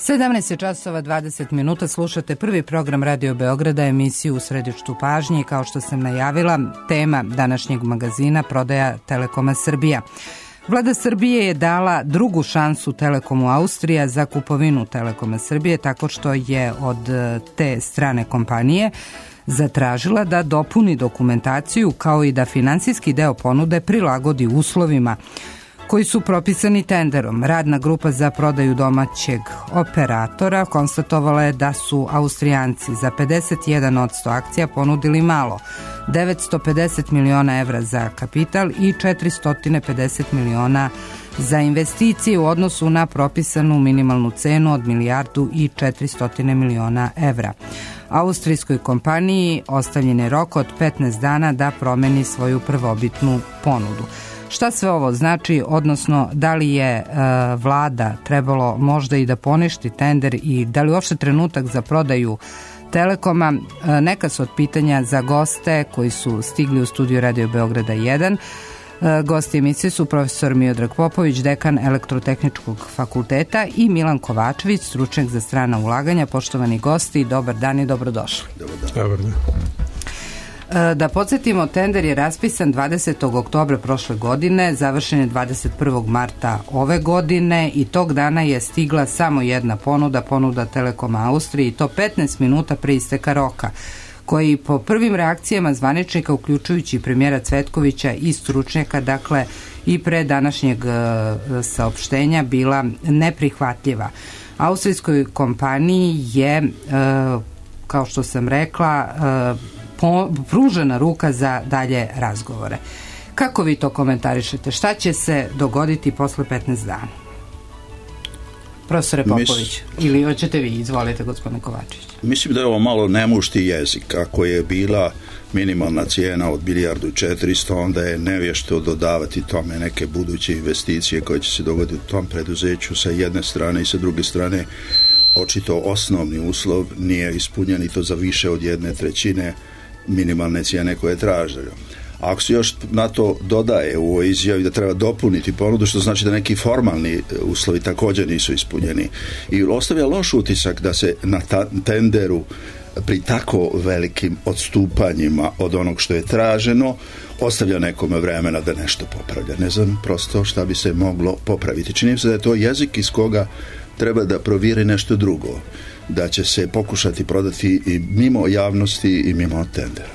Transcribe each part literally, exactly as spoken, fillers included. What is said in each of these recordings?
sedamnaest časova dvadeset minuta, slušate prvi program Radio Beograda, emisiju U središtu pažnje i kao što sam najavila, tema današnjeg magazina prodaja Telekoma Srbija. Vlada Srbije je dala drugu šansu Telekomu Austrija za kupovinu Telekoma Srbije tako što je od te strane kompanije zatražila da dopuni dokumentaciju kao i da finansijski deo ponude prilagodi uslovima koji su propisani tenderom. Radna grupa za prodaju domaćeg operatora konstatovala je da su Austrijanci za pedeset jedan posto akcija ponudili malo, devetsto pedeset miliona evra za kapital i četiristo pedeset miliona za investicije u odnosu na propisanu minimalnu cenu od milijardu i četiristo miliona evra. Austrijskoj kompaniji ostavljen je rok od petnaest dana da promeni svoju prvobitnu ponudu. Šta sve ovo znači, odnosno da li je e, vlada trebalo možda i da poništi tender i da li uopšte trenutak za prodaju Telekoma, e, neka su od pitanja za goste koji su stigli u studiju Radio Beograda jedan. E, gosti emisije su profesor Miodrag Popović, dekan Elektrotehničkog fakulteta i Milan Kovačević, stručnjak za strana ulaganja. Poštovani gosti, dobar dan i dobrodošli. Dobar dan. Dobar dan. Da podsjetimo, tender je raspisan dvadesetog oktobra prošle godine, završen je dvadeset prvog marta ove godine i tog dana je stigla samo jedna ponuda, ponuda Telekoma Austrije i to petnaest minuta pre isteka roka, koji po prvim reakcijama zvaničnika, uključujući premijera Cvetkovića i stručnjaka, dakle i pre današnjeg saopštenja, bila neprihvatljiva. Austrijskoj kompaniji je, kao što sam rekla, pružena ruka za dalje razgovore. Kako vi to komentarišete? Šta će se dogoditi posle petnaest dana? Profesore Popović, Mis... ili hoćete vi? Izvolite, gospodine Kovačević. Mislim da je ovo malo nemušti jezik. Ako je bila minimalna cijena od milijardu i četiristo, onda je nevješto dodavati tome neke buduće investicije koje će se dogoditi u tom preduzeću sa jedne strane i sa druge strane. Očito osnovni uslov nije ispunjen i to za više od jedne trećine minimalne cijene koje je traženo. Ako se još na to dodaje u ovoj izjavi da treba dopuniti ponudu, što znači da neki formalni uslovi također nisu ispunjeni i ostavlja loš utisak da se na ta- tenderu pri tako velikim odstupanjima od onog što je traženo ostavlja nekome vremena da nešto popravlja. Ne znam prosto šta bi se moglo popraviti. Čini se da je to jezik iz koga treba da provjeri nešto drugo, da će se pokušati prodati i mimo javnosti i mimo tendera.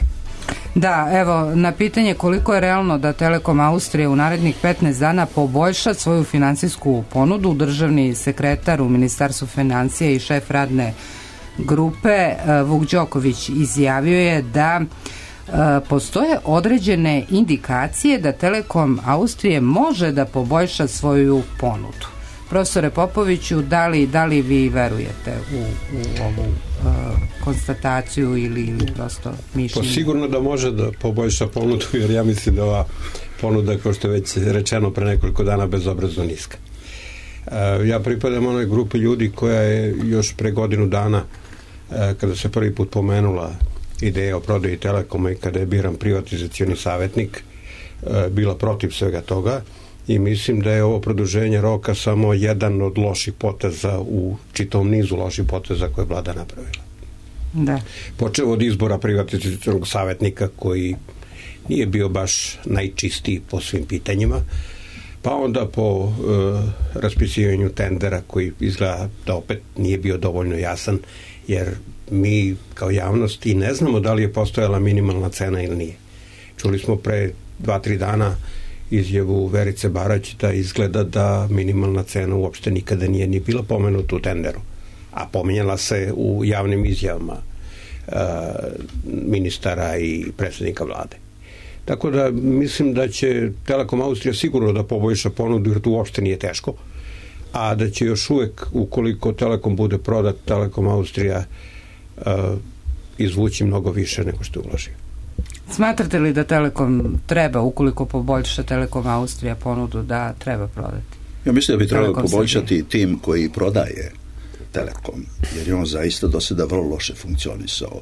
Da, evo, na pitanje koliko je realno da Telekom Austrije u narednih petnaest dana poboljša svoju finansijsku ponudu, državni sekretar u Ministarstvu financija i šef radne grupe Vuk Đoković izjavio je da e, postoje određene indikacije da Telekom Austrije može da poboljša svoju ponudu. Profesore Popoviću, da li, da li vi verujete u, u ovu uh, konstataciju ili, ili prosto mišljenje? Pa sigurno da može da poboljša ponudu, jer ja mislim da ova ponuda, kao što je već rečeno pre nekoliko dana, bezobrazno niska. Uh, ja pripadam onoj grupi ljudi koja je još pre godinu dana, uh, kada se prvi put pomenula ideja o prodaji Telekoma i kada je biran privatizacioni savjetnik, uh, bila protiv svega toga. I mislim da je ovo produženje roka samo jedan od loših poteza u čitavom nizu loših poteza koje je vlada napravila. Da. Počeo od izbora privatizacionog savjetnika koji nije bio baš najčistiji po svim pitanjima, pa onda po e, raspisivanju tendera koji izgleda da opet nije bio dovoljno jasan, jer mi kao javnost i ne znamo da li je postojala minimalna cena ili nije. Čuli smo pre dva, tri dana izjavu Verice Barać da izgleda da minimalna cena uopšte nikada nije ni bila pomenuta u tenderu, a pominjala se u javnim izjavama uh, ministara i predsjednika vlade. Tako da mislim da će Telekom Austrija sigurno da poboljša ponudu, jer to uopšte nije teško, a da će još uvek, ukoliko Telekom bude prodat, Telekom Austrija uh, izvući mnogo više nego što je uložio. Smatrate li da Telekom treba, ukoliko poboljša Telekom Austrija ponudu, da treba prodati? Ja mislim da bi trebalo poboljšati tim koji prodaje Telekom, jer je on zaista do sada vrlo loše funkcionisao.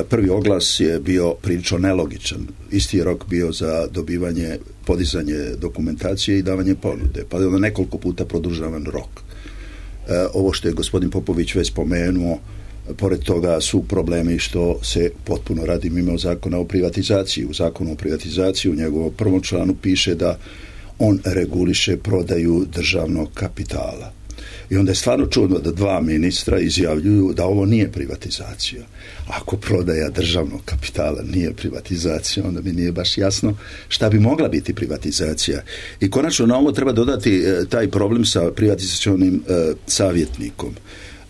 Prvi oglas je bio prilično nelogičan. Isti je rok bio za dobivanje, podizanje dokumentacije i davanje ponude, pa je onda nekoliko puta produžavan rok. ovo što je gospodin Popović već spomenuo, pored toga su problemi što se potpuno radi mimo zakona o privatizaciji. U zakonu o privatizaciji u njegovom prvom članu piše da on reguliše prodaju državnog kapitala. I onda je stvarno čudno da dva ministra izjavljuju da ovo nije privatizacija. Ako prodaja državnog kapitala nije privatizacija, onda mi nije baš jasno šta bi mogla biti privatizacija. I konačno na ovo treba dodati e, taj problem sa privatizacionim e, savjetnikom.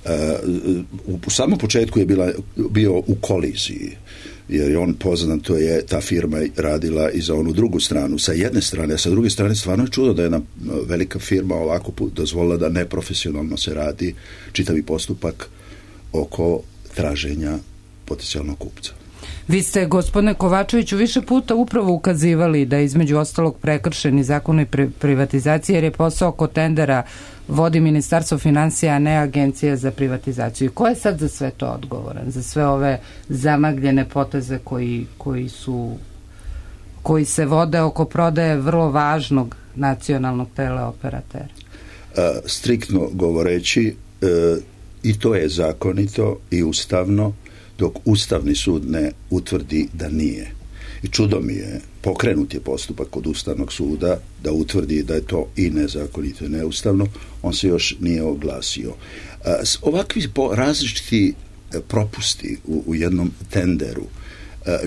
E, u, u samom početku je bila, bio u koliziji, jer je on poznato je ta firma radila i za onu drugu stranu sa jedne strane, a sa druge strane stvarno je čudo da je jedna velika firma ovako dozvolila da neprofesionalno se radi čitavi postupak oko traženja potencijalnog kupca. Vi ste, gospodine Kovačeviću, više puta upravo ukazivali da je između ostalog prekršeni zakon i privatizacije, jer je posao oko tendera vodi Ministarstvo finansija, a ne Agencija za privatizaciju. I ko je sad za sve to odgovoran? Za sve ove zamagljene poteze koji, koji su koji se vode oko prodaje vrlo važnog nacionalnog teleoperatera? A, striktno govoreći, e, i to je zakonito i ustavno, dok Ustavni sud ne utvrdi da nije. I čudo mi je, pokrenut je postupak kod Ustavnog suda da utvrdi da je to i nezakonito i neustavno, on se još nije oglasio. Ovakvi različiti propusti u, u jednom tenderu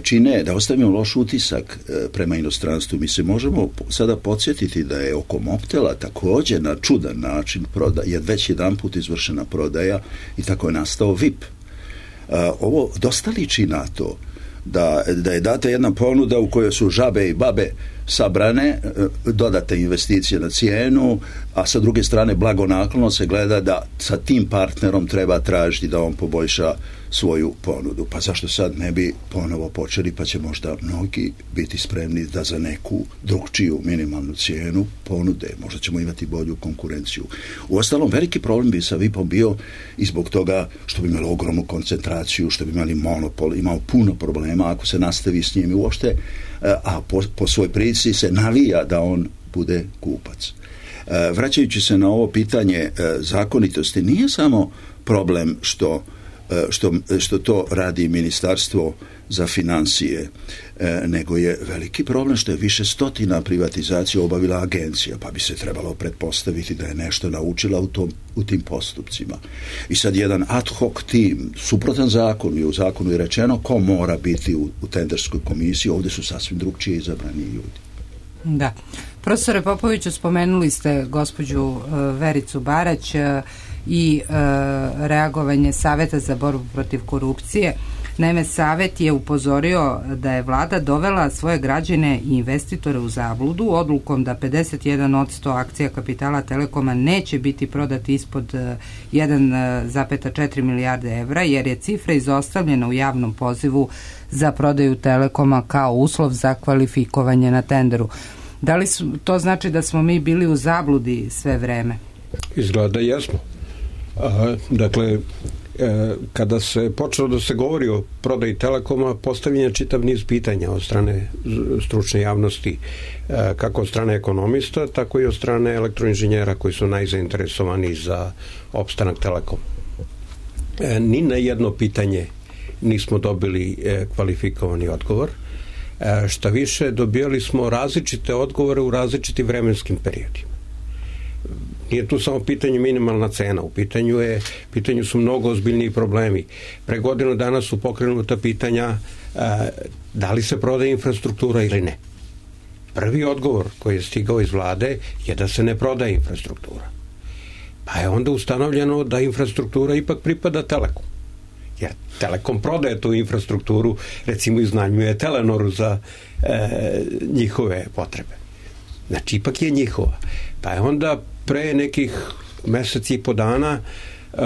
čine da ostavimo loš utisak prema inostranstvu. Mi se možemo sada podsjetiti da je oko Mobtela također na čudan način proda, je već jedan put izvršena prodaja i tako je nastao V I P. Ovo dosta liči na to da, da je data jedna ponuda u kojoj su žabe i babe sabrane, dodate investicije na cijenu, a sa druge strane blagonaklono se gleda da sa tim partnerom treba tražiti da on poboljša svoju ponudu. Pa zašto sad ne bi ponovo počeli, pa će možda mnogi biti spremni da za neku drugčiju minimalnu cijenu ponude. Možda ćemo imati bolju konkurenciju. Uostalom, veliki problem bi sa V I P-om bio i zbog toga što bi imali ogromnu koncentraciju, što bi imali monopol, imao puno problema ako se nastavi s njim uopšte, a po, po svoj prilici se navija da on bude kupac. Vraćajući se na ovo pitanje zakonitosti, nije samo problem što Što, što to radi Ministarstvo za financije, e, nego je veliki problem što je više stotina privatizacija obavila agencija, pa bi se trebalo pretpostaviti da je nešto naučila u, tom, u tim postupcima. I sad jedan ad hoc tim, suprotan zakonu, je u zakonu je rečeno ko mora biti u, u tenderskoj komisiji, ovdje su sasvim drugčije izabrani ljudi. Da. Profesore Popoviću, spomenuli ste gospođu uh, Vericu Barać uh, i uh, reagovanje Saveta za borbu protiv korupcije. Naime, Savet je upozorio da je vlada dovela svoje građane i investitore u zabludu odlukom da pedeset jedan posto akcija kapitala Telekoma neće biti prodati ispod jedan zarez četiri milijarde evra, jer je cifra izostavljena u javnom pozivu za prodaju Telekoma kao uslov za kvalifikovanje na tenderu. Da li su, to znači da smo mi bili u zabludi sve vreme? Izgleda da jesmo. A, dakle, e, kada se počelo da se govori o prodaji Telekoma, postavljen je čitav niz pitanja od strane stručne javnosti, e, kako od strane ekonomista, tako i od strane elektroinženjera koji su najzainteresovani za opstanak Telekoma. E, ni na jedno pitanje nismo dobili e, kvalifikovani odgovor. E, šta više, dobijali smo različite odgovore u različitim vremenskim periodima. Nije tu samo pitanje minimalna cena, u pitanju, je, pitanju su mnogo ozbiljniji problemi. Pre godinu dana su pokrenuta pitanja e, da li se prodaje infrastruktura ili ne. Prvi odgovor koji je stigao iz vlade je da se ne prodaje infrastruktura. Pa je onda ustanovljeno da infrastruktura ipak pripada Telekom. Jer Telekom prodaje tu infrastrukturu, recimo iznajmljuje Telenoru za e, njihove potrebe. Znači, ipak je njihova. Pa je onda pre nekih meseci i po dana uh,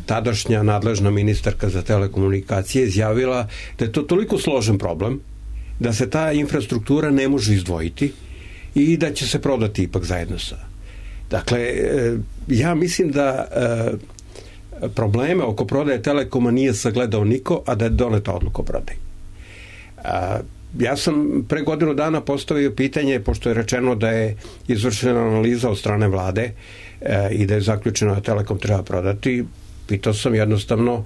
tadašnja nadležna ministarka za telekomunikacije izjavila da je to toliko složen problem da se ta infrastruktura ne može izdvojiti i da će se prodati ipak zajedno sa. Dakle, uh, ja mislim da uh, probleme oko prodaje Telekoma nije sagledao niko, a da je doneta odluka o prodaji. Uh, ja sam pre godinu dana postavio pitanje, pošto je rečeno da je izvršena analiza od strane vlade e, i da je zaključeno da Telekom treba prodati, pitao sam jednostavno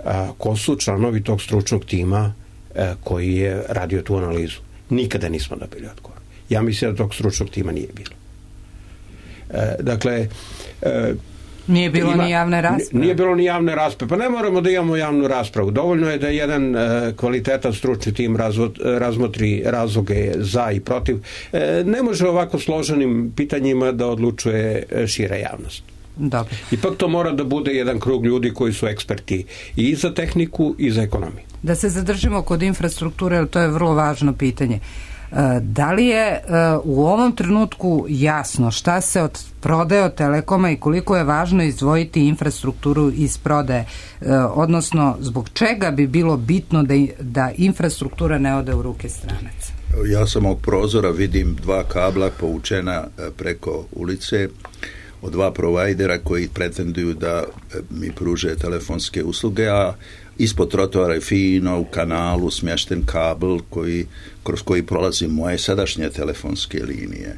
a, ko su članovi tog stručnog tima a, koji je radio tu analizu. Nikada nismo dobili odgovor. Ja mislim da tog stručnog tima nije bilo. E, dakle, e, Nije bilo ima, ni javne rasprave. Nije bilo ni javne rasprave. Pa ne moramo da imamo javnu raspravu. Dovoljno je da jedan e, kvalitetan stručni tim razvo, razmotri razloge za i protiv. E, ne može ovako složenim pitanjima da odlučuje šira javnost. Dobro. Ipak to mora da bude jedan krug ljudi koji su eksperti i za tehniku i za ekonomiju. Da se zadržimo kod infrastrukture, jer to je vrlo važno pitanje. Da li je u ovom trenutku jasno šta se od prodaje od Telekoma i koliko je važno izdvojiti infrastrukturu iz prodaje, odnosno zbog čega bi bilo bitno da, da infrastruktura ne ode u ruke stranaca? Ja sam ovog prozora vidim dva kabla povučena preko ulice od dva provajdera koji pretenduju da mi pruže telefonske usluge, a ispod trotoara je fino u kanalu smješten kabel koji, kroz koji prolazi moje sadašnje telefonske linije.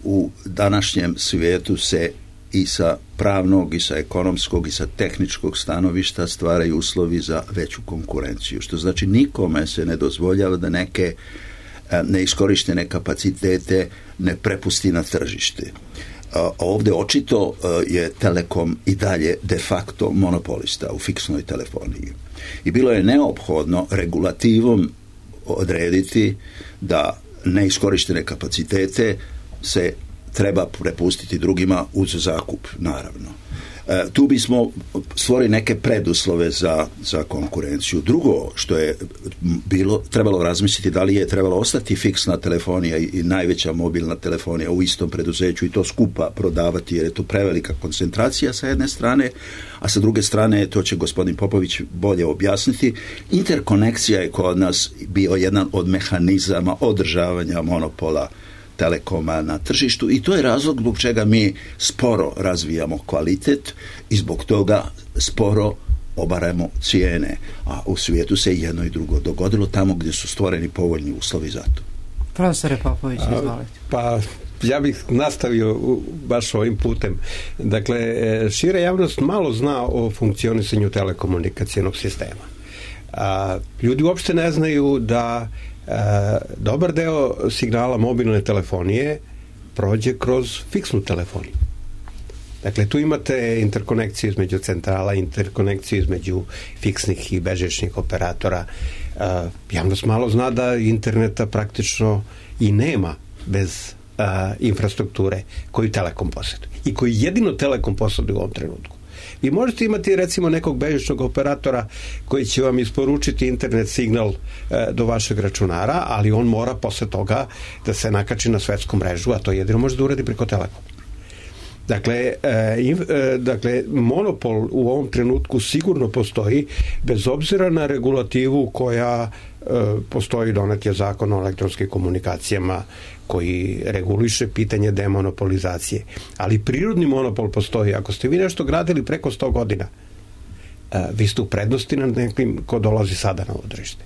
U današnjem svijetu se i sa pravnog, i sa ekonomskog, i sa tehničkog stanovišta stvaraju uslovi za veću konkurenciju, što znači nikome se ne dozvoljava da neke neiskorištene kapacitete ne prepusti na tržište. Ovdje očito je Telekom i dalje de facto monopolista u fiksnoj telefoniji. I bilo je neophodno regulativom odrediti da neiskorištene kapacitete se treba prepustiti drugima uz zakup, naravno. E, tu bismo stvorili neke preduslove za, za konkurenciju. Drugo što je bilo, trebalo razmisliti da li je trebalo ostati fiksna telefonija i, i najveća mobilna telefonija u istom preduzeću i to skupa prodavati, jer je to prevelika koncentracija sa jedne strane, a sa druge strane, to će gospodin Popović bolje objasniti, interkonekcija je kod nas bio jedan od mehanizama održavanja monopola Telekoma na tržištu i to je razlog zbog čega mi sporo razvijamo kvalitet i zbog toga sporo obaramo cijene, a u svijetu se jedno i drugo dogodilo tamo gdje su stvoreni povoljni uslovi za to. Profesore Popović, izvolite. Pa ja bih nastavio baš ovim putem. Dakle, šira javnost malo zna o funkcionisanju telekomunikacijnog sistema. A, ljudi uopšte ne znaju da E, dobar deo signala mobilne telefonije prođe kroz fiksnu telefoniju. Dakle, tu imate interkonekciju između centrala, interkonekciju između fiksnih i bežičnih operatora. E, javnost malo zna da interneta praktično i nema bez e, infrastrukture koju Telekom posjeduje i koju jedino Telekom posjeduje u ovom trenutku. Vi možete imati recimo nekog bežičnog operatora koji će vam isporučiti internet signal e, do vašeg računara, ali on mora posle toga da se nakači na svetsku mrežu, a to jedino može da uradi preko Telekoma. Dakle, e, in, e, dakle, monopol u ovom trenutku sigurno postoji, bez obzira na regulativu koja e, postoji, donet je zakon o elektronskim komunikacijama koji reguliše pitanje demonopolizacije. Ali prirodni monopol postoji. Ako ste vi nešto gradili preko sto godina, e, vi ste u prednosti nad nekim ko dolazi sada na ovo tržište.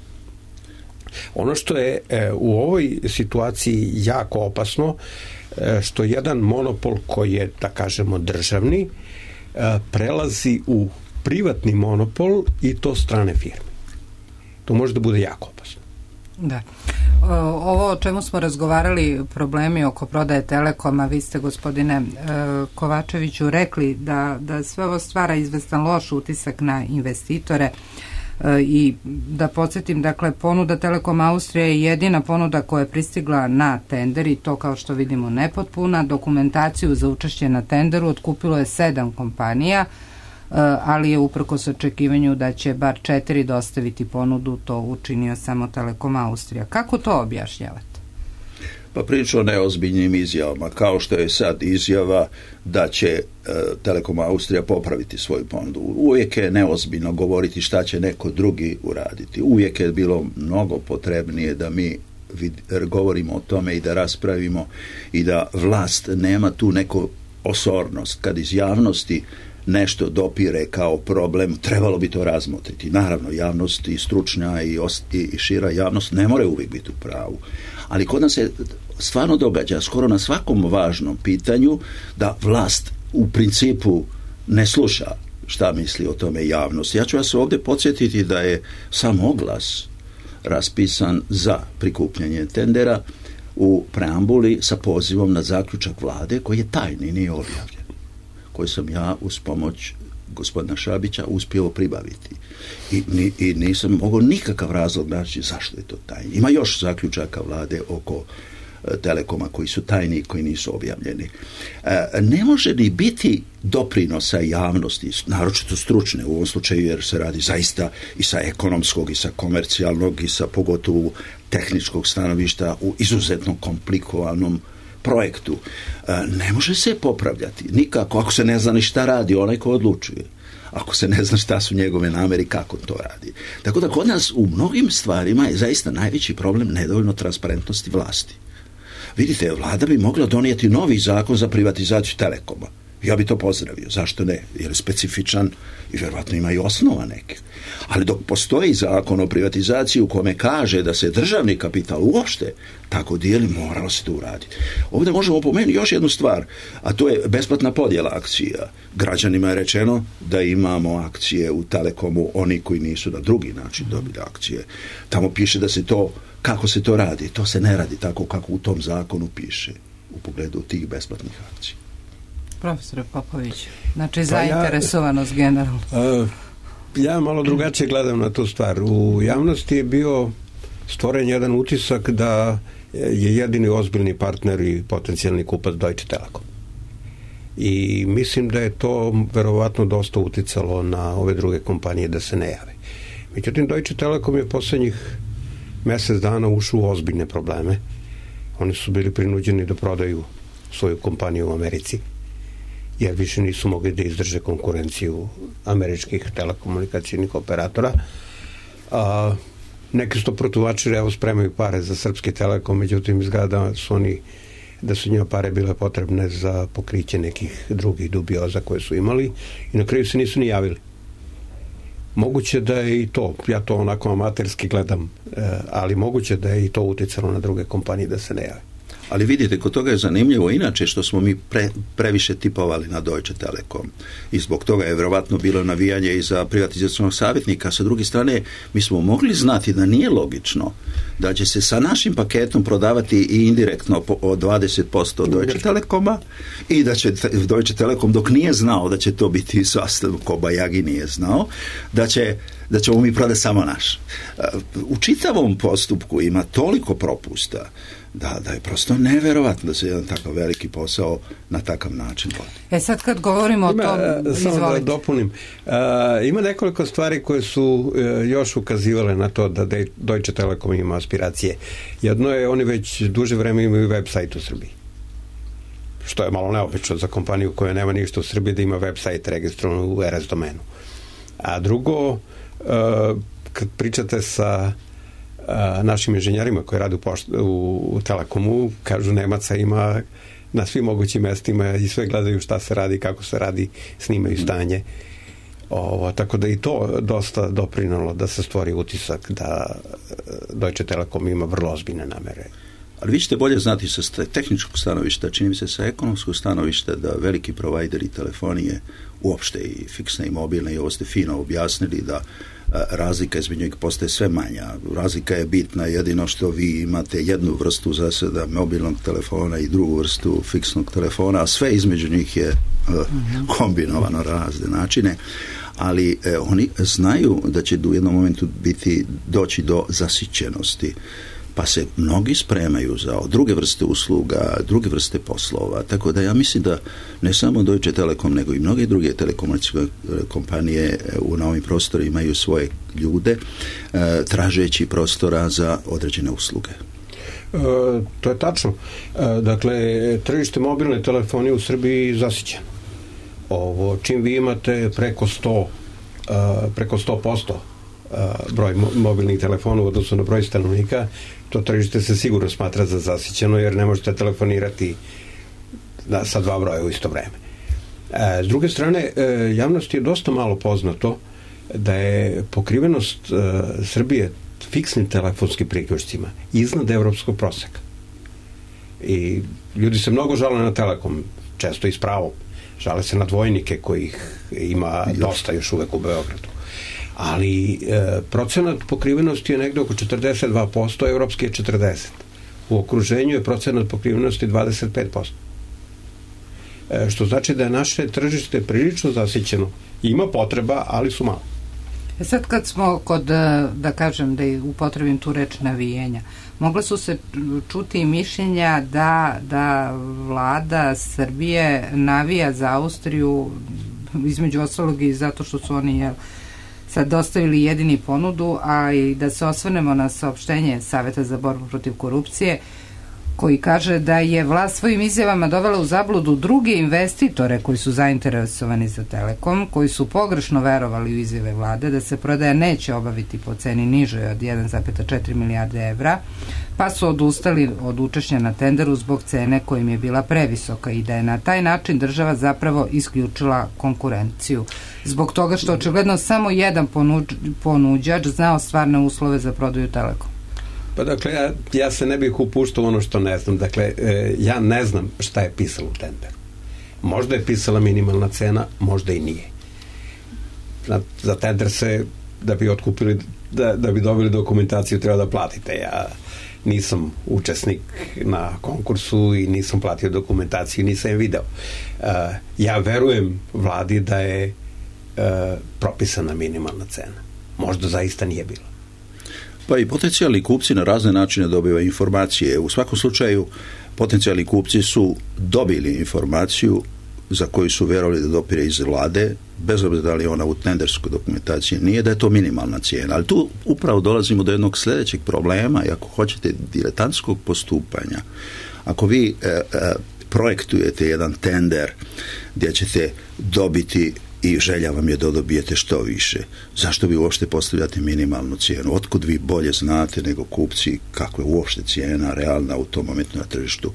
Ono što je e, u ovoj situaciji jako opasno, što jedan monopol koji je, da kažemo, državni, prelazi u privatni monopol i to strane firme. To može da bude jako opasno. Da. Ovo o čemu smo razgovarali, problemi oko prodaje Telekoma, vi ste, gospodine Kovačeviću, rekli da, da sve ovo stvara izvestan loš utisak na investitore. I da podsjetim, dakle, ponuda Telekom Austrija je jedina ponuda koja je pristigla na tender i to, kao što vidimo, nepotpuna. Dokumentaciju za učešće na tenderu otkupilo je sedam kompanija, ali je uprkos očekivanju da će bar četiri dostaviti ponudu, to učinio samo Telekom Austrija. Kako to objašnjavate? Pa priča o neozbiljnim izjavama, kao što je sad izjava da će e, Telekom Austrija popraviti svoju ponudu. Uvijek je neozbiljno govoriti šta će neko drugi uraditi. Uvijek je bilo mnogo potrebnije da mi vid, govorimo o tome i da raspravimo i da vlast nema tu neku osornost kad iz javnosti nešto dopire kao problem, trebalo bi to razmotriti. Naravno, javnost i stručna i, ost, i šira javnost ne more uvijek biti u pravu. Ali kod nas se stvarno događa skoro na svakom važnom pitanju da vlast u principu ne sluša šta misli o tome javnost. Ja ću vas ovdje podsjetiti da je sam oglas raspisan za prikupljanje tendera u preambuli sa pozivom na zaključak vlade koji je tajni, nije objavljen, koji sam ja uz pomoć gospodina Šabića uspio pribaviti. I, ni, i nisam mogao nikakav razlog naći zašto je to tajni. Ima još zaključaka vlade oko e, Telekoma koji su tajni i koji nisu objavljeni. E, ne može ni biti doprinosa javnosti, naročito stručne u ovom slučaju, jer se radi zaista i sa ekonomskog i sa komercijalnog i sa pogotovo tehničkog stanovišta u izuzetno komplikovanom projektu. E, ne može se popravljati nikako ako se ne zna ni šta radi onaj ko odlučuje. Ako se ne zna šta su njegove namere, kako to radi. Tako da kod nas u mnogim stvarima je zaista najveći problem nedovoljno transparentnosti vlasti. Vidite, vlada bi mogla donijeti novi zakon za privatizaciju Telekoma. Ja bi to pozdravio. Zašto ne? Jer je specifičan i vjerojatno ima i osnova nekih. Ali dok postoji zakon o privatizaciji u kome kaže da se državni kapital uopšte tako dijeli, moralo se to uraditi. Ovdje možemo pomenuti još jednu stvar, a to je besplatna podjela akcija. Građanima je rečeno da imamo akcije u Telekomu, oni koji nisu na drugi način dobili akcije. Tamo piše da se to, kako se to radi. To se ne radi tako kako u tom zakonu piše u pogledu tih besplatnih akcija. Profesor Popović, znači pa zainteresovanost ja, generalno. Uh, ja malo drugačije gledam na tu stvar. U javnosti je bio stvoren jedan utisak da je jedini ozbiljni partner i potencijalni kupac Deutsche Telekom. I mislim da je to verovatno dosta uticalo na ove druge kompanije da se ne jave. Međutim, Deutsche Telekom je poslednjih mjesec dana ušao u ozbiljne probleme. Oni su bili prinuđeni da prodaju svoju kompaniju u Americi, jer više nisu mogli da izdrže konkurenciju američkih telekomunikacijnih operatora. A, neki su to protuvačili, evo spremaju pare za srpski Telekom, međutim izgleda da su oni, da su njima pare bile potrebne za pokriće nekih drugih dubioza koje su imali i na kraju se nisu ni javili. Moguće da je i to, ja to onako amaterski gledam, ali moguće da je i to uticalo na druge kompanije da se ne jave. Ali vidite, kod toga je zanimljivo inače što smo mi pre, previše tipovali na Deutsche Telekom i zbog toga je vjerovatno bilo navijanje i za privatizacionog savjetnika. Sa druge strane, mi smo mogli znati da nije logično da će se sa našim paketom prodavati i indirektno po, od dvadeset posto Deutsche Telekoma i da će Deutsche Telekom, dok nije znao da će to biti sastav, Kobayagi nije znao, da će da ćemo mi prodati samo naš. U čitavom postupku ima toliko propusta da, da je prosto neverovatno da se jedan takav veliki posao na takav način vodi. E sad kad govorimo ima, o tom, samo da dopunim, uh, ima nekoliko stvari koje su uh, još ukazivale na to da Deutsche Telekom ima aspiracije. Jedno je, oni već duže vreme imaju website u Srbiji, što je malo neobično za kompaniju koja nema ništa u Srbiji da ima website registrovan u er es domenu. A drugo, uh, kad pričate sa a, našim inženjerima koji rade u, pošt, u, u Telekomu, kažu Nemaca ima na svim mogućim mestima i sve gledaju šta se radi, kako se radi, snimaju stanje. Ovo, tako da i to dosta doprinalo da se stvori utisak da Deutsche Telekom ima vrlo ozbiljne namere. Ali vi ćete bolje znati sa tehničkog stanovišta, čini mi se sa ekonomskog stanovišta, da veliki provajderi telefonije, uopšte i fiksne i mobilne, i ovo ste fino objasnili, da razlika između njih postaje sve manja. Razlika je bitna, jedino što vi imate jednu vrstu zasada mobilnog telefona i drugu vrstu fiksnog telefona, a sve između njih je uh, kombinovano razne načine, ali eh, oni znaju da će u jednom momentu biti doći do zasićenosti, pa se mnogi spremaju za druge vrste usluga, druge vrste poslova, tako da ja mislim da ne samo Deutsche Telekom, nego i mnoge druge telekomunikacijske kompanije u novim prostorima imaju svoje ljude, e, tražeći prostora za određene usluge. E, to je tačno. E, dakle, tržište mobilne telefonije u Srbiji zasićeno. Ovo, čim vi imate preko sto, e, preko sto posto broj mobilnih telefona u odnosu na broj stanovnika, to tržište se sigurno smatra za zasićeno, jer ne možete telefonirati da, sa dva broja u isto vreme. S druge strane, javnosti je dosta malo poznato da je pokrivenost Srbije fiksnim telefonskim priključcima iznad evropskog proseka. I ljudi se mnogo žale na Telekom, često i s pravom. Žale se na dvojnike kojih ima dosta još uvek u Beogradu. Ali e, procenat pokrivenosti je negde oko četrdeset dva posto, evropski je četrdeset posto. U okruženju je procenat pokrivenosti dvadeset pet posto. E, što znači da je naše tržište prilično zasićeno. Ima potreba, ali su malo. E sad kad smo kod, da kažem, da upotrebim tu reč navijenja, mogle su se čuti mišljenja da, da vlada Srbije navija za Austriju, između ostalog i zato što su oni jel, sad dostavili jedini ponudu, a i da se osvrnemo na saopštenje Saveta za borbu protiv korupcije, koji kaže da je vlast svojim izjavama dovela u zabludu druge investitore koji su zainteresovani za Telekom, koji su pogrešno verovali u izjave vlade da se prodaja neće obaviti po ceni nižoj od jedan zarez četiri milijarde evra, pa su odustali od učešća na tenderu zbog cene kojim je bila previsoka i da je na taj način država zapravo isključila konkurenciju. Zbog toga što očigledno samo jedan ponuđ, ponuđač znao stvarne uslove za prodaju Telekom. Pa dakle, ja, ja se ne bih upuštao ono što ne znam. Dakle, e, ja ne znam šta je pisalo u tenderu. Možda je pisala minimalna cena, možda i nije. Za, za tender se, da bi otkupili, da, da bi dobili dokumentaciju, treba da platite. Ja nisam učesnik na konkursu i nisam platio dokumentaciju, nisam je video. E, ja verujem vladi da je e, propisana minimalna cena. Možda zaista nije bila. Pa i potencijalni kupci na razne načine dobivaju informacije. U svakom slučaju potencijalni kupci su dobili informaciju za koju su vjerovali da dopire iz vlade, bez obzira da li ona u tenderskoj dokumentaciji nije, da je to minimalna cijena. Ali tu upravo dolazimo do jednog sljedećeg problema i ako hoćete diletantskog postupanja. Ako vi e, e, projektujete jedan tender gdje ćete dobiti i želja vam je da dobijete što više. Zašto vi uopšte postavljate minimalnu cijenu? Otkud vi bolje znate nego kupci kako je uopšte cijena realna u tom momentu na tržištu?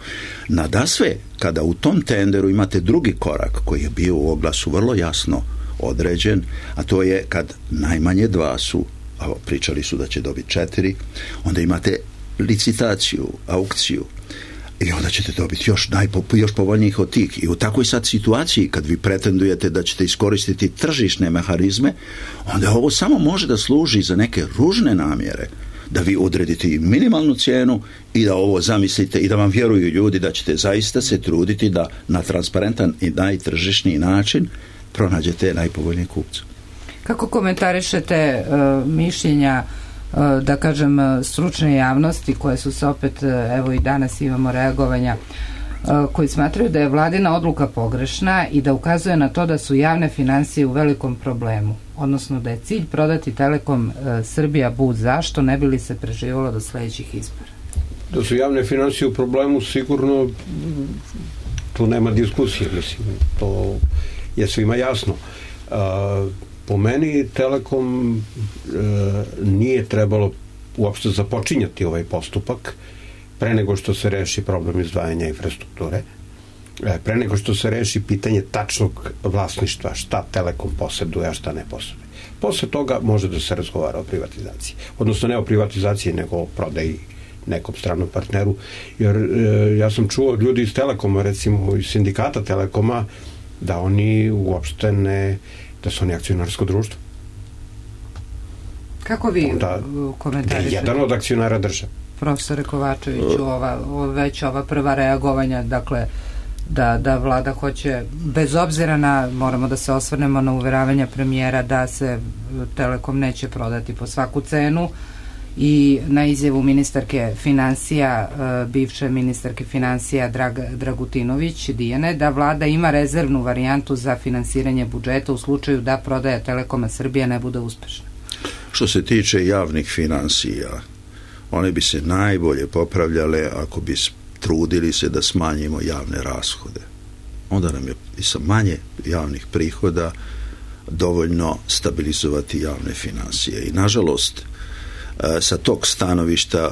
Nadasve, kada u tom tenderu imate drugi korak koji je bio u oglasu vrlo jasno određen, a to je kad najmanje dva su, a pričali su da će dobiti četiri, onda imate licitaciju, aukciju, i onda ćete dobiti još, najpo, još povoljnijih od tih. I u takvoj sad situaciji, kad vi pretendujete da ćete iskoristiti tržišne mehanizme, onda ovo samo može da služi za neke ružne namjere, da vi odredite i minimalnu cijenu i da ovo zamislite i da vam vjeruju ljudi da ćete zaista se truditi da na transparentan i najtržišniji način pronađete najpovoljnije kupce. Kako komentarišete uh, mišljenja da kažem stručne javnosti koje su se opet, evo i danas imamo reagovanja, koji smatraju da je vladina odluka pogrešna i da ukazuje na to da su javne finansije u velikom problemu, odnosno da je cilj prodati Telekom Srbija bud zašto ne bi li se preživalo do sledećih izbora? Da su javne finansije u problemu sigurno tu nema diskusije, mislim, to je svima jasno. Uh, Po meni Telekom e, nije trebalo uopšte započinjati ovaj postupak pre nego što se reši problem izdvajanja infrastrukture, e, pre nego što se reši pitanje tačnog vlasništva, šta Telekom posjeduje, a šta ne posjeduje. Posle toga može da se razgovara o privatizaciji. Odnosno ne o privatizaciji, nego o prodaji nekom stranom partneru. Jer e, ja sam čuo od ljudi iz Telekoma, recimo iz sindikata Telekoma, da oni uopšte ne da su oni akcionarsko društvo. Kako vi onda, komentarišete? Jedan od akcionara države. Profesore Kovačeviću, ova, već ova prva reagovanja, dakle, da, da vlada hoće, bez obzira na, moramo da se osvrnemo na uveravanja premijera da se Telekom neće prodati po svaku cenu i na izjavu ministarke financija, bivše ministarke financija Drag, Dragutinović Dijane, da vlada ima rezervnu varijantu za finansiranje budžeta u slučaju da prodaja Telekoma Srbija ne bude uspešna. Što se tiče javnih finansija, one bi se najbolje popravljale ako bi trudili se da smanjimo javne rashode. Onda nam je i sa manje javnih prihoda dovoljno stabilizovati javne finansije. I nažalost, sa tog stanovišta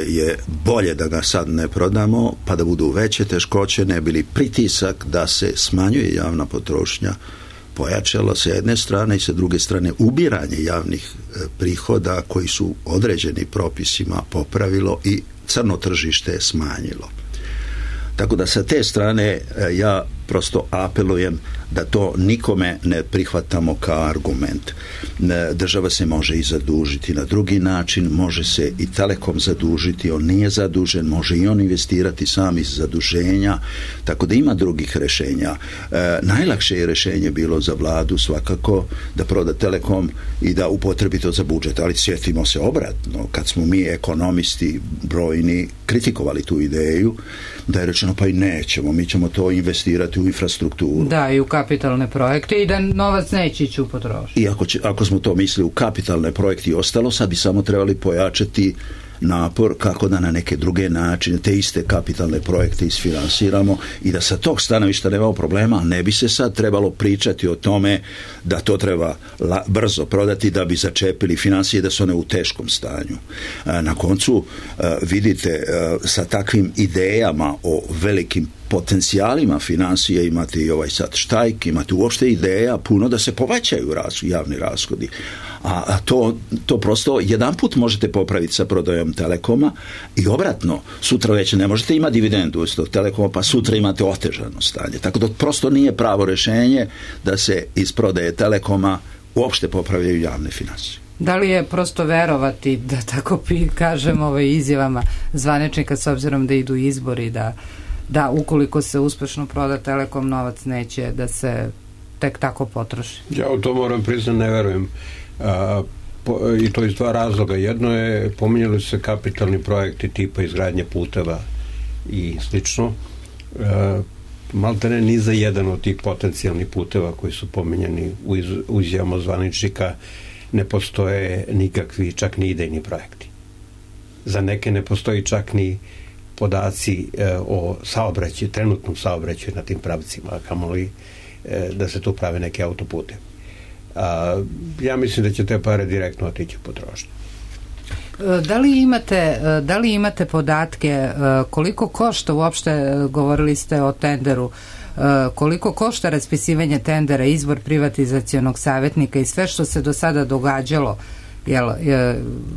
je bolje da ga sad ne prodamo, pa da budu veće teškoće, ne bili pritisak da se smanjuje javna potrošnja pojačalo sa jedne strane i sa druge strane ubiranje javnih prihoda koji su određeni propisima popravilo i crno tržište smanjilo. Tako da sa te strane ja prosto apelujem da to nikome ne prihvatamo kao argument. Država se može i zadužiti na drugi način, može se i Telekom zadužiti, on nije zadužen, može i on investirati sam iz zaduženja, tako da ima drugih rješenja. E, najlakše je rješenje bilo za vladu svakako da proda Telekom i da upotrebi to za budžet, ali sjetimo se obratno, kad smo mi ekonomisti brojni kritikovali tu ideju, da je rečeno pa i nećemo, mi ćemo to investirati u infrastrukturu. Da, i u kapitalne projekte i da novac neće ići u potrošnju. I ako, će, ako smo to mislili u kapitalne projekte i ostalo, sad bi samo trebali pojačati napor kako da na neke druge načine te iste kapitalne projekte isfinansiramo i da sa tog stanovišta nemamo problema, ne bi se sad trebalo pričati o tome da to treba la, brzo prodati da bi začepili financije da su one u teškom stanju. Na koncu vidite sa takvim idejama o velikim potencijalima financije imate i ovaj sad štajk, imate uopšte ideja puno da se povećaju ras, javni rashodi. A, a to, to prosto jedan put možete popraviti sa prodajom Telekoma i obratno, sutra već ne možete imati dividendu iz tog Telekoma, pa sutra imate otežano stanje. Tako da prosto nije pravo rješenje da se iz prodaje Telekoma uopšte popravljaju javne financije. Da li je prosto verovati, da tako kažem ovaj izjavama zvaničnika s obzirom da idu izbori, da da ukoliko se uspešno proda Telekom, novac neće da se tek tako potroši? Ja u to moram priznati ne verujem. A, po, i to iz dva razloga. Jedno je, pominjali se kapitalni projekti tipa izgradnje puteva i slično. A, maltene ni za jedan od tih potencijalnih puteva koji su pominjeni u, iz, u izjavama zvaničnika ne postoje nikakvi, čak ni idejni projekti. Za neke ne postoji čak ni podaci e, o saobraćaju, trenutnom saobraćaju na tim pravcima, a kamoli e, da se tu prave neke autopute. A, ja mislim da će te pare direktno otići u potrošnju. Da li imate, da li imate podatke koliko košta uopšte, govorili ste o tenderu, koliko košta raspisivanje tendera, izbor privatizacionog savjetnika i sve što se do sada događalo? Jel,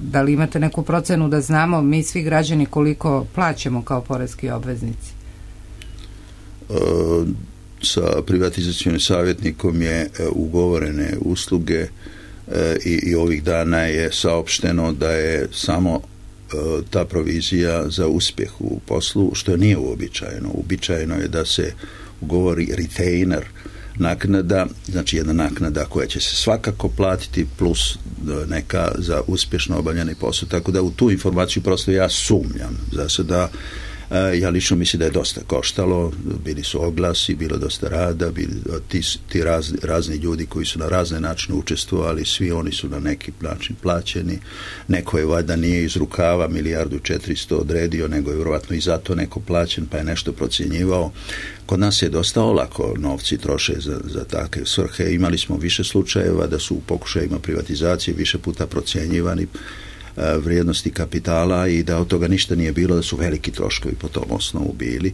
da li imate neku procenu da znamo mi svi građani koliko plaćamo kao poreski obveznici? E, sa privatizacionim savjetnikom je ugovorene usluge e, i, i ovih dana je saopšteno da je samo e, ta provizija za uspjeh u poslu, što nije uobičajeno. Uobičajeno je da se ugovori retainer naknada, znači jedna naknada koja će se svakako platiti plus neka za uspješno obavljeni posao, tako da u tu informaciju prosto ja sumnjam. Za sada ja lično mislim da je dosta koštalo, bili su oglasi, bilo dosta rada, bili ti, ti raz, razni ljudi koji su na razne načine učestvovali, svi oni su na neki način plaćeni, neko je valjda nije iz rukava milijardu četiristo odredio, nego je vjerojatno i zato neko plaćen pa je nešto procjenjivao. Kod nas je dosta olako novci troše za, za takve svrhe. Imali smo više slučajeva da su u pokušajima privatizacije više puta procjenjivani vrijednosti kapitala i da od toga ništa nije bilo, da su veliki troškovi po tom osnovu bili.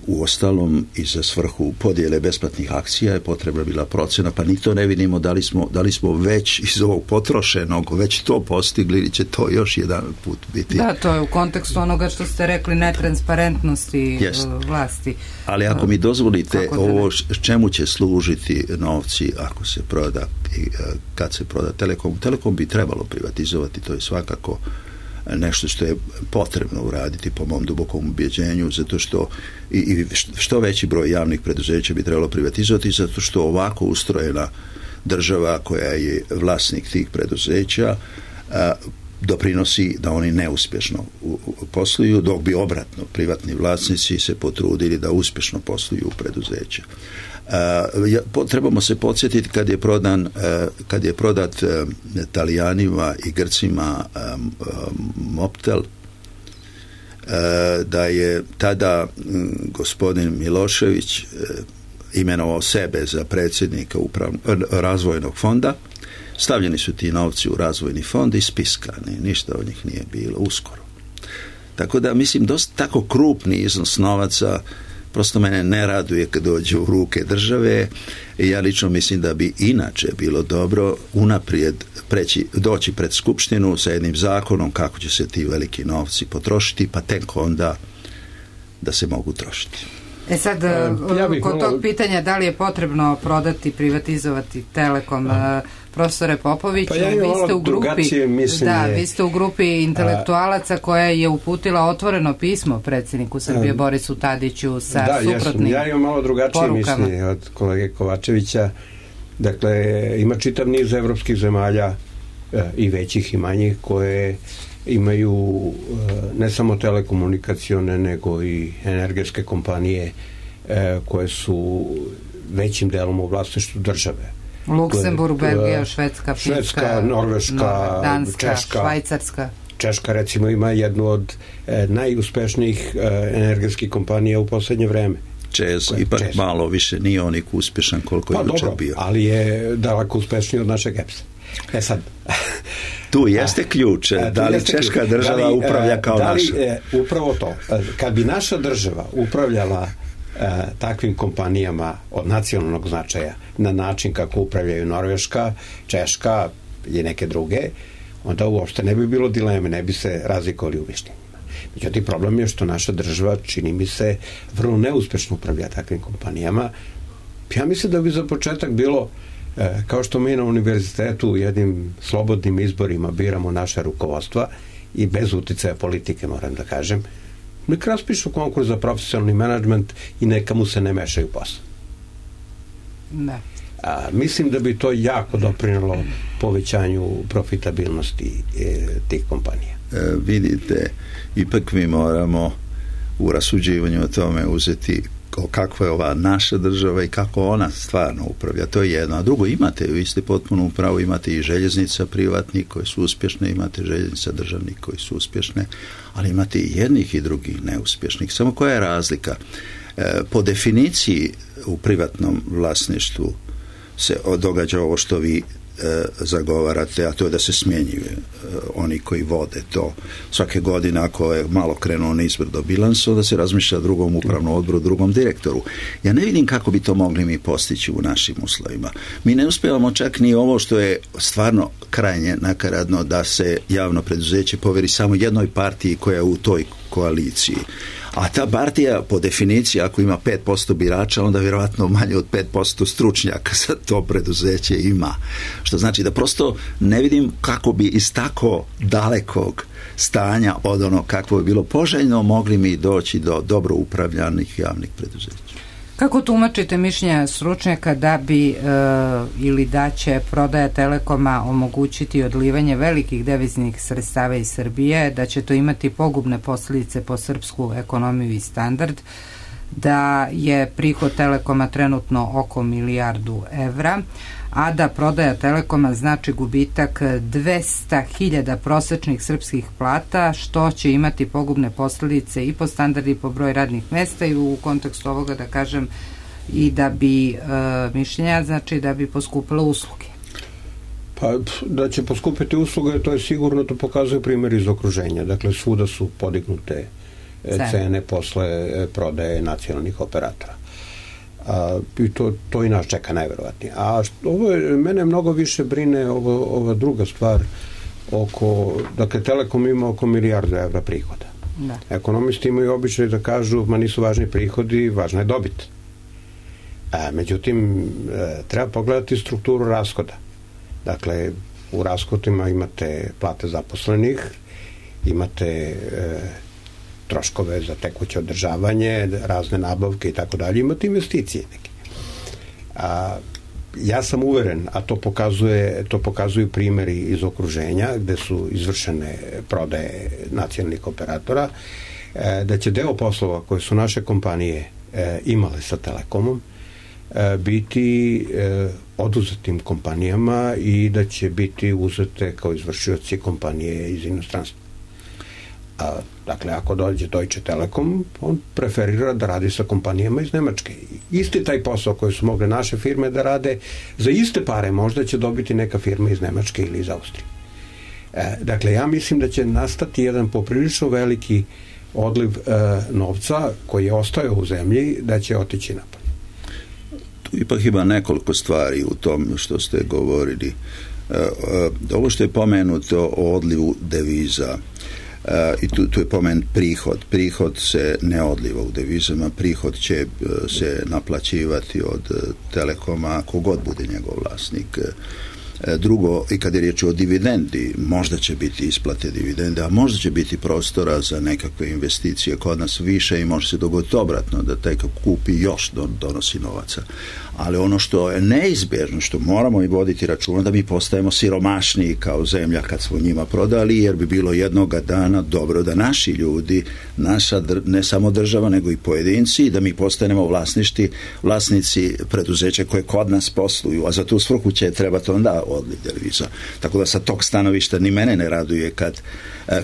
U ostalom i za svrhu podjele besplatnih akcija je potrebna bila procena, pa ni to ne vidimo da li smo, da li smo već iz ovog potrošenog već to postigli ili će to još jedan put biti. Da, to je u kontekstu onoga što ste rekli, netransparentnosti yes. vlasti. Ali ako mi dozvolite ovo čemu će služiti novci ako se proda i kad se proda Telekom, Telekom bi trebalo privatizovati, to je svakako nešto što je potrebno uraditi po mom dubokom ubjeđenju, zato što i, i što veći broj javnih preduzeća bi trebalo privatizovati, zato što ovako ustrojena država koja je vlasnik tih preduzeća a, doprinosi da oni neuspješno u, u posluju, dok bi obratno privatni vlasnici se potrudili da uspješno posluju u preduzeća. Uh, trebamo se podsjetiti kad je prodan uh, kad je prodat uh, Talijanima i Grcima um, um, Mobtel, uh, da je tada um, gospodin Milošević uh, imenovao sebe za predsjednika uprav, uh, razvojnog fonda stavljeni su ti novci u razvojni fond i spiskani, ništa od njih nije bilo uskoro. Tako da, mislim, dosta tako krupni iznos novaca prosto mene ne raduje kad dođe u ruke države i ja lično mislim da bi inače bilo dobro unaprijed preći, doći pred skupštinu sa jednim zakonom kako će se ti veliki novci potrošiti, pa tek onda da se mogu trošiti. E sad, ja bih kod tog pitanja da li je potrebno prodati, privatizovati Telekom, a, profesore Popoviću, pa ja vi ste u grupi da, vi ste u grupi intelektualaca koja je uputila otvoreno pismo predsjedniku Srbije a, Borisu Tadiću sa da, suprotnim ja, ja imam malo drugačije porukama. Mišljenje od kolege Kovačevića. Dakle, ima čitav niz evropskih zemalja e, i većih i manjih koje imaju ne samo telekomunikacione nego i energetske kompanije koje su većim delom u vlasništvu države. Luksemburg, Belgija, Švedska, Finska, Švedska, Norveška, Danska, Češka, Švajcarska. Češka recimo ima jednu od najuspešnijih energetskih kompanija u posljednje vreme. Čez, ipak Čez. Malo više nije onik uspješan koliko pa, je jučer dobro, bio. Ali je daleko uspešniji od našeg E P S-a. E sad, tu jeste ključ, a, da li Češka ključ. država da li, upravlja kao da li, naša? E, upravo to. Kad bi naša država upravljala e, takvim kompanijama od nacionalnog značaja na način kako upravljaju Norveška, Češka i neke druge, onda uopšte ne bi bilo dileme, ne bi se razlikovali u mišljenjima. Međutim, problem je što naša država, čini mi se, vrlo neuspešno upravlja takvim kompanijama. Ja mislim da bi za početak bilo E, kao što mi na univerzitetu jednim slobodnim izborima biramo naše rukovodstva i bez uticaja politike, moram da kažem, neka raspišu konkurs za profesionalni menadžment i neka mu se ne mešaju posao. Ne. A, mislim da bi to jako doprinalo povećanju profitabilnosti e, tih kompanija. E, vidite, ipak mi moramo u rasuđivanju o tome uzeti kakva je ova naša država i kako ona stvarno upravlja. To je jedno. A drugo, imate, vi ste potpuno upravo, imate i željeznica privatnih koje su uspješne, imate željeznica državnih koji su uspješne, ali imate i jednih i drugih neuspješnih. Samo koja je razlika? E, po definiciji u privatnom vlasništvu se događa ovo što vi e, zagovarate, a to je da se smjenjuju e, oni koji vode to. Svake godine, ako je malo krenuo nizbrdo bilans, onda se razmišlja drugom upravnom odboru, drugom direktoru. Ja ne vidim kako bi to mogli mi postići u našim uslovima. Mi ne uspijevamo čak ni ovo što je stvarno krajnje nakaradno, da se javno preduzeće poveri samo jednoj partiji koja je u toj koaliciji. A ta partija, po definiciji, ako ima pet posto birača, onda vjerojatno manje od pet posto stručnjaka za to preduzeće ima. Što znači da prosto ne vidim kako bi iz tako dalekog stanja od ono kakvo je bilo poželjno mogli mi doći do dobro upravljanih javnih preduzeća. Kako tumačite mišljenja stručnjaka da bi e, ili da će prodaja Telekoma omogućiti odlivanje velikih deviznih sredstava iz Srbije, da će to imati pogubne posljedice po srpsku ekonomiju i standard, da je prihod Telekoma trenutno oko milijardu evra, a da prodaja Telekoma znači gubitak dvesta hiljada prosečnih srpskih plata, što će imati pogubne posljedice i po standardi i po broj radnih mesta i u kontekstu ovoga da kažem i da bi e, mišljenja znači da bi poskupile usluge. Pa da će poskupiti usluge, to je sigurno, to pokazuje primjer iz okruženja. Dakle, svuda su podignute cene, cene posle prodaje nacionalnih operatora. A, i to, to i nas čeka najverovatnije. A što, ovo je, mene mnogo više brine ovo, ova druga stvar oko, dakle, Telekom ima oko milijardu evra prihoda. Da. Ekonomisti imaju običaj da kažu, ma nisu važni prihodi, važna je dobit. A, međutim, treba pogledati strukturu rashoda. Dakle, u rashodima imate plate zaposlenih, imate e, troškove za tekuće održavanje, razne nabavke i tako dalje, imate investicije neke. A, ja sam uveren, a to pokazuje, to pokazuju primjeri iz okruženja gde su izvršene prodaje nacionalnih operatora, e, da će deo poslova koje su naše kompanije e, imale sa Telekomom e, biti e, oduzetim kompanijama i da će biti uzete kao izvršioci kompanije iz inostranstva. A, dakle, ako dođe Deutsche Telekom, on preferira da radi sa kompanijama iz Nemačke. Isti taj posao koji su mogle naše firme da rade, za iste pare možda će dobiti neka firma iz Nemačke ili iz Austrije. E, dakle, ja mislim da će nastati jedan poprilično veliki odliv e, novca koji je ostajao u zemlji, da će otići napolje. Tu ipak ima nekoliko stvari u tom što ste govorili. E, e, ovo što je pomenuto o odlivu deviza, Uh, i tu, tu je pomenut prihod. Prihod se ne odliva u devizama, prihod će uh, se naplaćivati od uh, Telekoma kogod bude njegov vlasnik. Uh, drugo, i kad je riječ o dividendi, možda će biti isplate dividende, a možda će biti prostora za nekakve investicije kod nas više i može se dogoditi obratno, da taj kupi još donosi novaca. Ali ono što je neizbježno, što moramo i voditi računa, da mi postajemo siromašniji kao zemlja kad smo njima prodali, jer bi bilo jednoga dana dobro da naši ljudi, naša, ne samo država, nego i pojedinci, da mi postanemo vlasništi, vlasnici preduzeća koje kod nas posluju, a za tu svrhu će trebati onda odliv deviza. Tako da sa tog stanovišta ni mene ne raduje kad,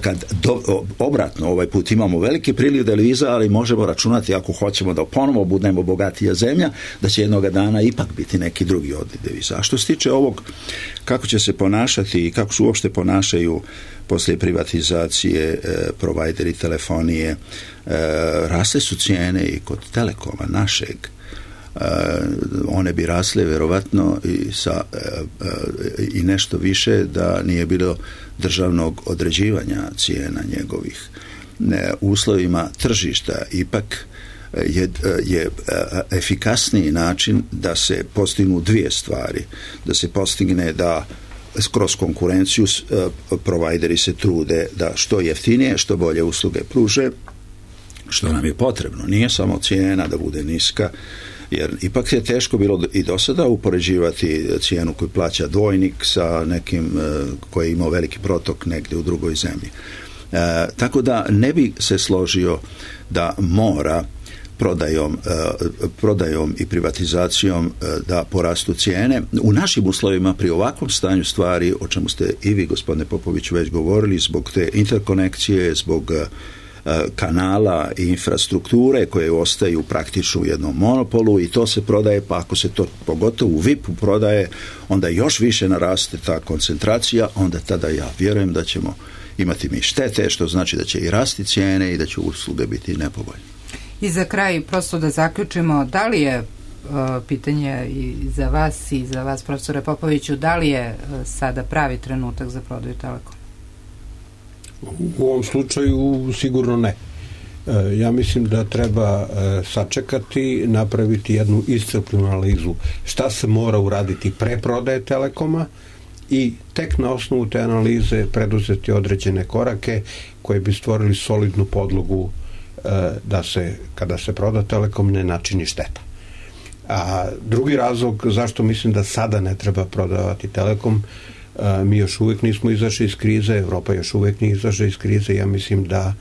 kad do, obratno ovaj put imamo veliki priliv deviza, ali možemo računati, ako hoćemo da ponovo budemo bogatija zemlja, da će jednoga dana ipak biti neki drugi odliv deviza. A što se tiče ovog, kako će se ponašati i kako se uopšte ponašaju poslije privatizacije e, provajderi telefonije, e, rasle su cijene i kod Telekoma našeg. E, one bi rasle vjerovatno i, sa, e, e, i nešto više da nije bilo državnog određivanja cijena njegovih. E, uslovima tržišta ipak je, je efikasniji način da se postignu dvije stvari. Da se postigne da kroz konkurenciju provajderi se trude da što jeftinije, što bolje usluge pruže, što nam je potrebno. Nije samo cijena da bude niska, jer ipak je teško bilo i do sada upoređivati cijenu koju plaća dvojnik sa nekim koji je imao veliki protok negdje u drugoj zemlji. E, tako da ne bi se složio da mora prodajom, prodajom i privatizacijom da porastu cijene. U našim uslovima pri ovakvom stanju stvari, o čemu ste i vi, gospodine Popović, već govorili, zbog te interkonekcije, zbog kanala i infrastrukture koje ostaju praktično u jednom monopolu i to se prodaje, pa ako se to pogotovo u V I P-u prodaje, onda još više naraste ta koncentracija, onda tada ja vjerujem da ćemo imati mi štete, što znači da će i rasti cijene i da će usluge biti nepovoljne. I za kraj, prosto da zaključimo, da li je uh, pitanje i za vas i za vas, profesore Popoviću, da li je uh, sada pravi trenutak za prodaju Telekoma? U ovom slučaju sigurno ne. E, ja mislim da treba e, sačekati, napraviti jednu iscrpnu analizu šta se mora uraditi pre prodaje Telekoma i tek na osnovu te analize preduzeti određene korake koje bi stvorili solidnu podlogu da se, kada se proda Telekom, ne načini šteta. A drugi razlog zašto mislim da sada ne treba prodavati Telekom, mi još uvijek nismo izašli iz krize, Evropa još uvijek nije izašla iz krize, ja mislim da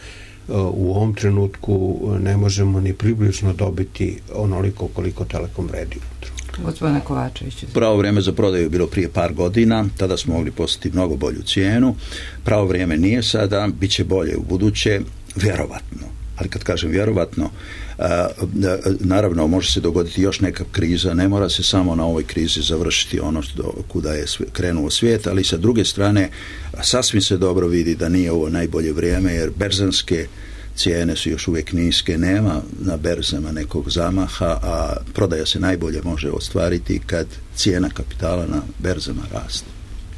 u ovom trenutku ne možemo ni približno dobiti onoliko koliko Telekom vredi. Gospodine Kovačević. Pravo vrijeme za prodaju je bilo prije par godina, tada smo mogli postati mnogo bolju cijenu. Pravo vrijeme nije sada, bit će bolje u buduće, vjerovatno. Ali kad kažem vjerovatno, naravno može se dogoditi još neka kriza, ne mora se samo na ovoj krizi završiti ono što, kuda je krenuo svijet, ali sa druge strane sasvim se dobro vidi da nije ovo najbolje vrijeme, jer berzanske cijene su još uvijek niske, nema na berzama nekog zamaha, a prodaja se najbolje može ostvariti kad cijena kapitala na berzama raste.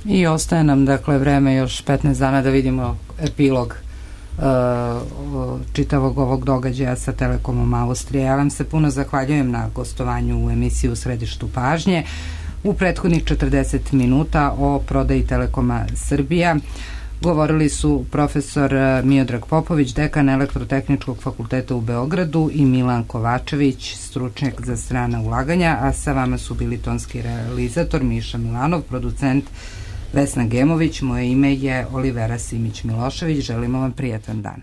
I ostaje nam dakle vreme još petnaest dana da vidimo epilog čitavog ovog događaja sa Telekomom Austrije. Ja vam se puno zahvaljujem na gostovanju u emisiji U središtu pažnje. U prethodnih četrdeset minuta o prodaji Telekoma Srbija govorili su profesor Miodrag Popović, dekan Elektrotehničkog fakulteta u Beogradu, i Milan Kovačević, stručnjak za strana ulaganja, a sa vama su bili tonski realizator Miša Milanov, producent Vesna Gemović, moje ime je Olivera Simić Milošević. Želimo vam prijatan dan.